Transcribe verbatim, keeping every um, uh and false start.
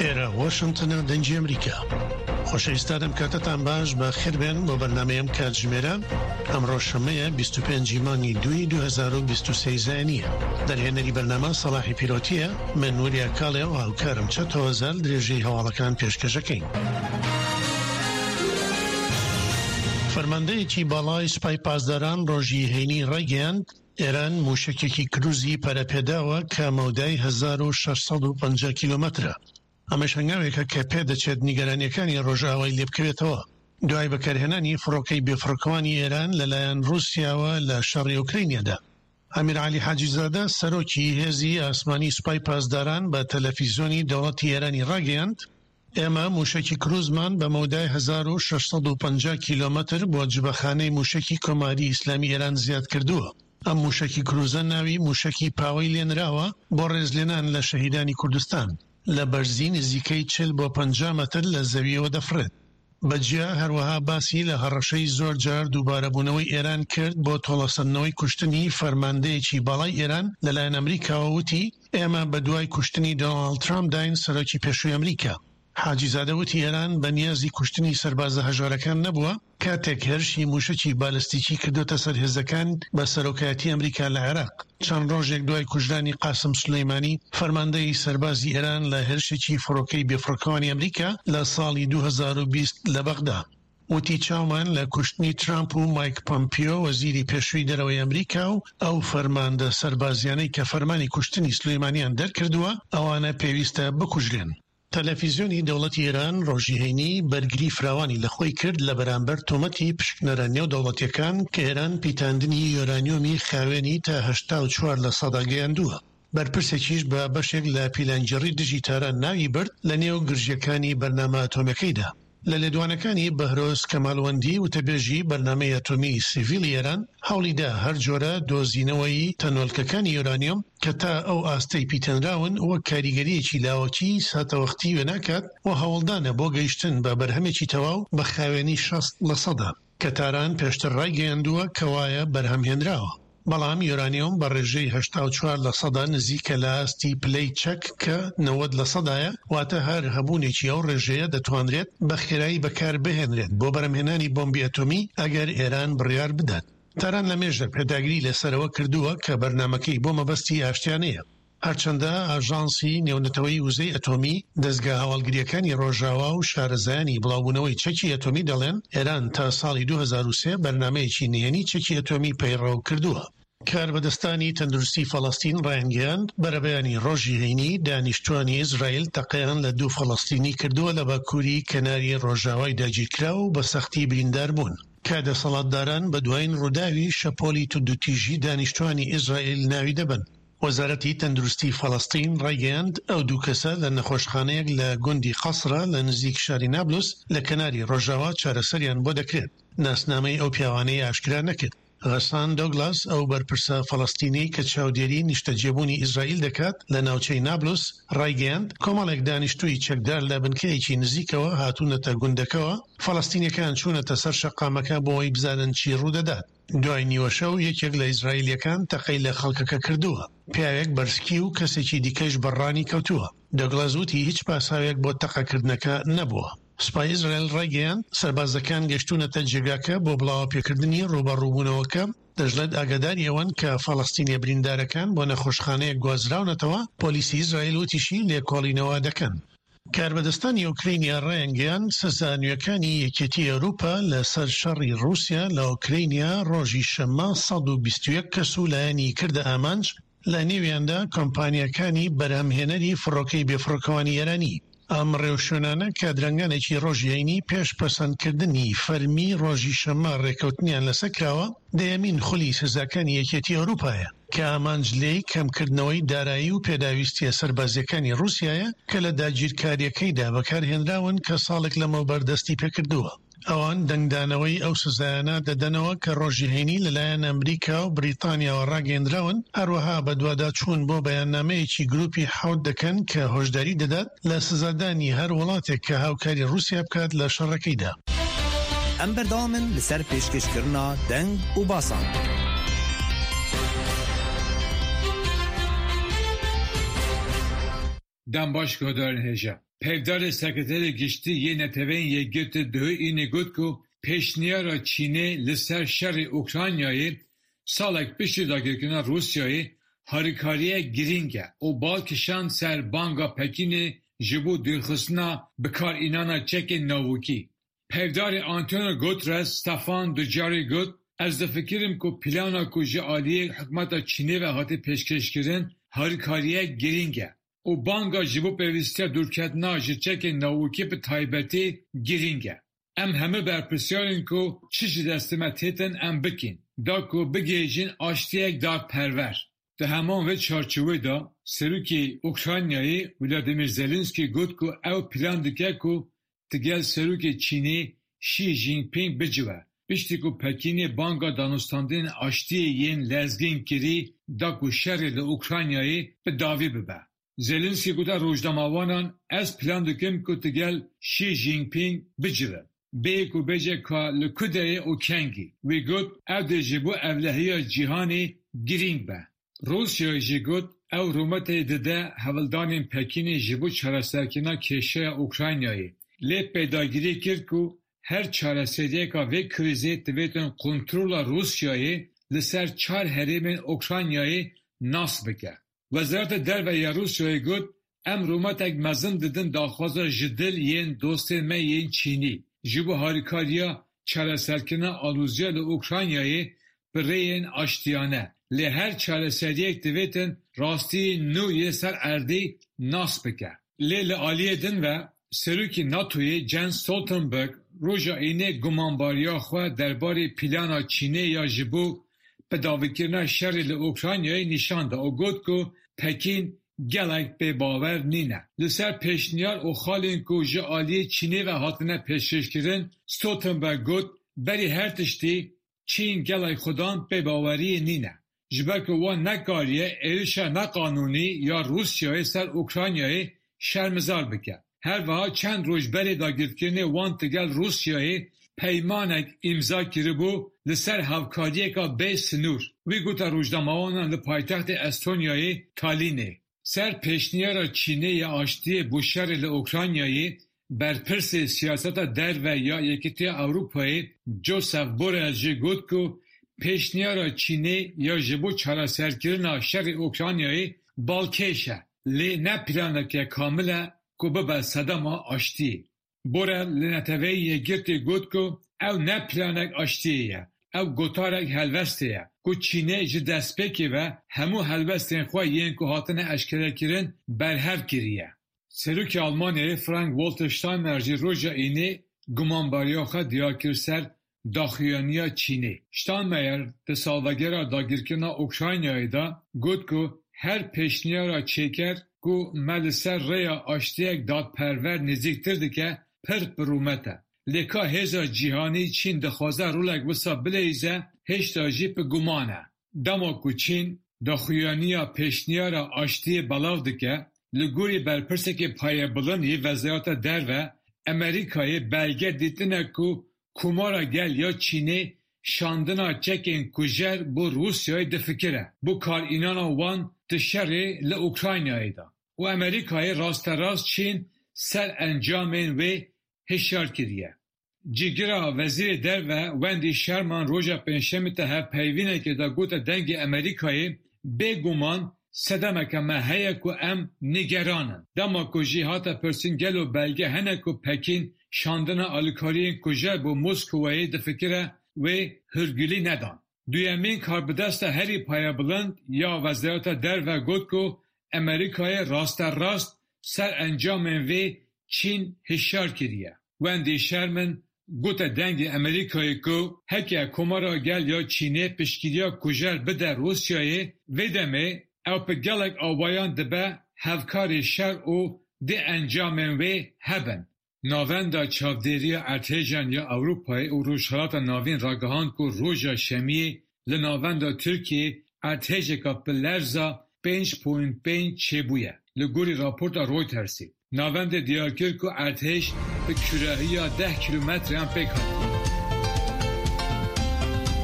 ئێرە واشنتنە، دەنگی ئەمریکا. خۆشەویستان، ئەم کاتەتان باش، بە خێربێن بۆ بەرنامەی ئەم کاتژمێرە. ئەمڕۆ شەمەیە، بیست و پێنج مانگی دووی دوو هەزار و بیست و سێ زایینیە. دەرهێنەری بەرنامە سەڵاحی پیرۆتیە، من وریا کاڵێ و هاوکارم چەتۆ هەزار درێژەی هەواڵەکان پێشکەشەکەین. فەرماندەیەکی باڵای سوپای پاسداران ڕۆژی هەینی ڕایگەیاند، ئێران موشەکێکی کروزی پەرەپێداوە کە مەودای هەزار و شەش سەد و پەنجا کیلۆمەترە. ئەمەش هەنگاوێکە کە پێدەچێت نیگەرانیەکانی ڕۆژئاوای لێبکەوێتەوە دوای بەکارهێنانی فڕۆکەی بێفڕۆکەوانی ئێران لەلایەن ڕووسیاوە لە شەڕی ئۆکراینیادا. ئەمیر عەلی حاجیزادە سەرۆکی هێزی ئاسمانی سوپای پاسداران بە تەلەفیزیۆنی دەوڵەتی ئێرانی ڕاگەیاند، ئێمە موشەکی کروزمان بە مەودای هەزار و شەش سەد و پەنجا کیلۆمەتر بۆ جبەخانەی موشەکی کۆماری ئیسلامی ئێران زیاد کردووە. ئەم موشەکی کروزە ناوی موشەکی پاوەی لێنراوە بۆ ڕێزلێنان لە شەهیدانی کوردستان، لە بەرزی نزیکەی چل بۆ پەنجا مەتر لە زەویەوە دەفڕێت. بەجیا هەروەها باسی لە هەڕەشەی زۆر جار دووبارەبوونەوەی ئێران کرد بۆ تۆڵەسەندنەوەی کوشتنی فەرماندەیەکی باڵای ئێران لەلایەن ئەمریکاوە، وتی ئێمە بەدوای کوشتنی دۆناڵد ترامپداین، سەرۆکی پێشووی ئەمریکا. حاجیزادە وتی ئێران بە نیازی کوشتنی سەربازە هەژارەکان نەبووە کاتێک هێرشی موشەکی بالستیکی کردوتە سەر هێزەکان بە سەرۆکایەتی ئەمریکا لە عێراق، چەند ڕۆژێک دوای کوژرانی قاسم سولەیمانی فەرماندەی سەربازی ئێران لە هێرشێکی فڕۆکەی بێفڕۆکەوانی ئەمریکا لە ساڵی دوو هەزار و بیست لە بەغدا. وتی چاومان لە کوشتنی ترامپ و مایک پۆمپیۆ وەزیری پێشووی دەرەوەی ئەمریکا و ئەو فەرماندە سەربازیانەی کە فەرمانی کوشتنی سولەیمانیان دەرکردووە، ئەوانە پێویستە بکوژرێن. تەلەفیزیۆنی دەوڵەتی ئێران ڕۆژی هەینی بەرگری فراوانی لە خۆی کرد لە بەرامبەر تۆمەتی پشکنەرە نێودەوڵەتیەکان کە ئێران پیتاندنی یۆرانیۆمی خاوێنی تا هەشتا و چوار لە سەدا گەیاندووە. بەرپرسێکیش بە بەشێک لە پیلانگێڕی دژی تاران ناوی برد لە نێو گرژیەکانی بەرنامە ئەتۆمیەکەیدا. لە لێدوانەکانی بەهرۆز کەمالوەندی وتەبێژی بەرنامەی ئەتۆمی سیڤیلی ئێران هەوڵیدا هەر جۆرە دۆزینەوەی تەنۆلکەکانی یۆرانیۆم کە تا ئەو ئاستەی پیتێنراون وەک کاریگەریەکی لاوەکی ساتەوەختی وێناکات و هەوڵدانە بۆ گەیشتن بە بەرهەمێکی تەواو بە خاوێنی شەست لە سەدا کە تاران پێشتر ڕایگەیاندووە کەوایە بەرهەمهێنراوە. بەڵام یۆرانیۆم بە ڕێژەی هەشتا و چوار لە سەدا نزیکە لە ئاستی پلەی چەک کە نەوەد لە سەدایە، واتە هەر هەبوونێکی ئەو ڕێژەیە دەتوانرێت بە خێرایی بەکار بهێنرێت بۆ بەرهەمهێنانی بۆمبی ئەتۆمی ئەگەر ئێران بڕیار بدات. تاران لە مێژە پێداگری لەسەرەوە کردووە کە بەرنامەکەی بۆ مەبەستی ئاشتیانەیە. هەرچەندە ئاژانسی نێونەتەوەی وزەی ئەتۆمی، دەزگا هەواڵگریەکانی ڕۆژاوا و شارەزایانی بڵاوبوونەوەی چەکی ئەتۆمی دەڵێن ئێران تا ساڵی دوو هەزار و سێ بەرنامەیەکی نهێنی چەکی ئەتۆمی پەیڕەو کردووە. کاربەدەستانی تەندروستی فەڵەستین ڕایانگەیاند، بەرەبەیانی ڕۆژی هەینی دانیشتوانی ئیسرائیل تەقەیان لە دوو فەڵەستینی کردووە لە باکووری کەناری ڕۆژاوای داگیرکراو و بە سەختی بریندار بوون، کە دەسەڵاتداران بە دوایین ڕووداوی شەپۆلی توندوتیژی دانیشتوانی ئیسرائیل ناوی دەبەن. وەزارەتی تەندروستی فەڵەستین ڕایگەیاند، ئەو دوو کەسە لە نەخۆشخانەیەک لە گوندی قەسرە لە نزیک شاری نابلس لە کەناری ڕۆژاوا چارەسەریان بۆ دەکرێت. ناسنامەی ئەو پیاوانەی ئاشکرا نەکرد. غەسان دۆگلاس، ئەو بەرپرسە فەڵەستینیەی کە چاودێری نیشتەجێبوونی ئیسرائیل دەکات لە ناوچەی نابلس، ڕایگەیاند، کۆمەڵێک دانیشتووی چەکدار لە بنکەیەکی نزیکەوە هاتوونەتە گوندەکەوە، فەڵەستینیەکان چوونەتە سەر شەقامەکە بۆ ئەوەی بزانن چی ڕوودەدات. دوای نیوەشەو یەکێک لە ئیسرائیلیەکان تەقەی لە خەڵکەکە کردووە، پیاوێک بەرسکی و کەسێکی دیکەش بەڕانی کەوتووە. دۆگلاس وتی هیچ پاساوێک بۆ تەقەکردنەکە نەبووە. سوپای ئیسرائیل ڕایگەیاند، سەربازەکان گەشتوونەتە جێگاکە بۆ بڵاوەپێکردنی ڕووبەڕووبوونەوەکە، دەشڵێت ئاگاداری ئەوەن کە فەڵەستینیە بریندارەکان بۆ نەخۆشخانەیەک گوازراونەتەوە. پۆلیسی ئیسرائیل وتیشی لێکۆڵینەوە دەکەن. کاربەدەستانی ئۆکرینیا ڕایانگەیاند، سزا نوێکانی یەکێتی ئەوروپا لەسەر شەڕی ڕووسیا لە ئۆکرینیا ڕۆژی شەممە سەد و بیست و یەک کەس و لایەنی کردە ئامانج، لە نێویاندا کۆمپانیاکانی بەرهەمهێنەری فڕۆکەی بێفڕۆکەوانی ئێرانی. ئەم ڕێوشوێنانە کە درەنگانێکی ڕۆژی هەینی پێش پەسەندکردنی فەرمی ڕۆژی شەممە ڕێکەوتنیان لەسەر کراوە، دەیەمین خولی سزاکانی یەکێتی ئەوروپایە کە ئامانج لێی کەمکردنەوەی دارایی و پێداویستیە سەربازیەکانی ڕووسیایە کە لە داگیرکاریەکەیدا بەکارهێنراون کە ساڵێک لەمەوبەر دەستی پێکردووە. ئەوان دەنگدانەوەی ئەو سزایانە دەدەنەوە کە ڕۆژی هەینی لەلایەن ئەمریکا و بریتانیاوە ڕاگەیەندراون، هەروەها بەدواداچوون بۆ بەیاننامەیەکی گروپی حەوت دەکەن کە هۆشداری دەدات لە سزادانی هەر وڵاتێک کە هاوکاری ڕووسیا بکات لە شەڕەکەیدا. ئەم بەردەوامن لەسەر پێشکەشکردنا دەنگ و باسان. دەم باش گۆدارن هێژە. Peyvdarê Sekreterê Giştî yê Neteweyên Yekgirtî duh Înê got ku pêşniyara Çînê li ser şerê Ukraynayê salek piştî dagirkirina Rûsyayê harîkariyek girîng e û bal kişand ser banga Pekînê ji bo dûrxistina bikaranîna çekên navokî. Peyvdarê Antonio Guterres Stefan Dujarric got, Ez difikirim ku plana ku ji aliyê hikûmeta Çînê ve hatî pêşkêşkirin harîkariyek girîng e û banga ji bo pêwîstiya dûrketina ji çekên navokî bi taybetî girîng e. Em hemû berpirsyar in ku çi ji destê me têtin em bikin, da ku bigihîjin aştiyek dadperwer. Di heman vê çarçoveyê de Serokê Ukraynayê Vladimir Zelenskiy got ku ew plan dike ku digel Serokê Çînê Xi Jinping bicive. Piştî ku Pekînê banga danûstandinên aştiyê yên lezgîn kirî da ku şerê li Ukraynayê bi dawî bibe. Zelenskiy got rojnamevanan ez plan dikim ku digel Xi Jinping bicivim. Bê ku bêje ka li ku derê û kengî. Wî got ew dê ji bo ewlehiya cîhanê girîng be. Rûsyayê jî got ew rûmetê dide hewldanên Pekînê ji bo çareserkirina kêşeya Ukraynayê. Lê pêdagirî kir ku her çareseriyeka vê krîzê divêtin kontrola Rûsyayê li ser çar herêmên Ukraynayê nas bike. Wezareta Derve ya Rûsyayê got em rûmetek mezin didin daxwaza ji dil yên dostên me yên Çînî ji bo harîkariya çareserkirina aloziya li Ukraynayê bi rêyên aştiyane. Lê her çareseriyek divêtin rastiyên nû yên ser erdê nas bike. Lê li aliyê din ve Serokê NATOyê Jens Stoltenberg roja Înê gumanbariya xwe derbarê plana Çînê ya ji bo bidawîkirina şerê li Ukraynayê nîşan da û got ku Pekîn gelek pêbawer nîne. Li ser pêşniyar û xalên ku ji aliyê Çînê ve hatine pêşkêşkirin, Stoltenberg got berî her tiştî Çîn gelek xwedan pêbaweriyê nîne. Ji ber ku wan nekariye êrişa neqanûnî ya Rûsyayê ser Ukraynayê şermezar bike. Her wiha çend roj berê dagirkirinê wan digel Rûsyayê peymanek îmza kiribû li ser hevkariyeka bê sinûr. Wî gote rojnamevanan li paytextê Estonyayê Talînê. Ser pêşniyara Çînê ya aştiyê bo şerê li Ukraynayê berpirsê siyaseta derve ya Yekîtiya Ewropayê Josep Borrell jî got ku pêşniyara Çînê ya ji bo çareserkirina şerê Ukraynayê balkêş e, lê ne planeke kamil e ku bibe sedema aştiyê. Borrell li Neteweyên Yekgirtî got ku ew ne planek aştiyê ye, ew gotarek helwestê ye ku Çînê ji destpêkê ve hemû helwestên xwe yên ku hatine eşkerekirin berhev kiriye. Serokê Almanyayê Frank-Walter Steinmeier jî roja Înê gumanbariya xwe diyar kir ser daxuyaniya Çînê. Steinmeier di salvegera dagirkirina Ukraynayê de got ku her pêşniyara çêker ku me li ser rêya aştiyek dadperwer nêzîktir dike pir bi rûmet e. Lê ka hêza cîhanî Çîn dixwaze rolek wisa bileyîze hêşta jî bi guman e. Dema ku Çîn daxuyaniya pêşniyara aştiyê belav dike, li gorî berpirsekê payebilind yê Wezareta Derve, Amerîkayê belge dîtine ku Komara Gel ya Çînê şandina çekên kujer bo Rûsyayê difikire, bo karanîna wan di şerê li Ukraynayê de. Û Amerîkayê rasterast Çîn ser encamên wê hişyar kiriye. Cîgira Wezîrê Derve Wendy Sherman roja Pêncşemê di hevpeyvînekê de gote dengê Amerîkayê bêguman sedemeke me heye ku em nîgeran in. Dema ku jî hate pirsîn gelo belge hene ku Pekîn şandina alîkariyên kujer bo Moskowayê difikire wê hûrgilî nedan. Duyemîn karbidesta herî payebilind ya Wezareta Derve got ku Amerîkayê rasterast ser encamên vê Çîn hişyar kiriye. Wendy Sherman gote dengê Amerîkayê ku heke Komara Gel ya Çînê piştgiriya kujer bide Rûsyayê vê demê ew bi gelek awayan dibe hevkarê şer û dê encamên wê hebin. Navenda Çavdêriya Erdhêjan ya Ewropayê û Rojhilata Navîn ragihand ku roja Şemiyê li navenda Tirkiyeyê erdhêjeka bi lerza pênc point pênc çêbûye. Li gorî raporta Reutersê. Navendê diyar kir ku erdhêj bi kûrahiya deh kîlometreyan pêk hatiye.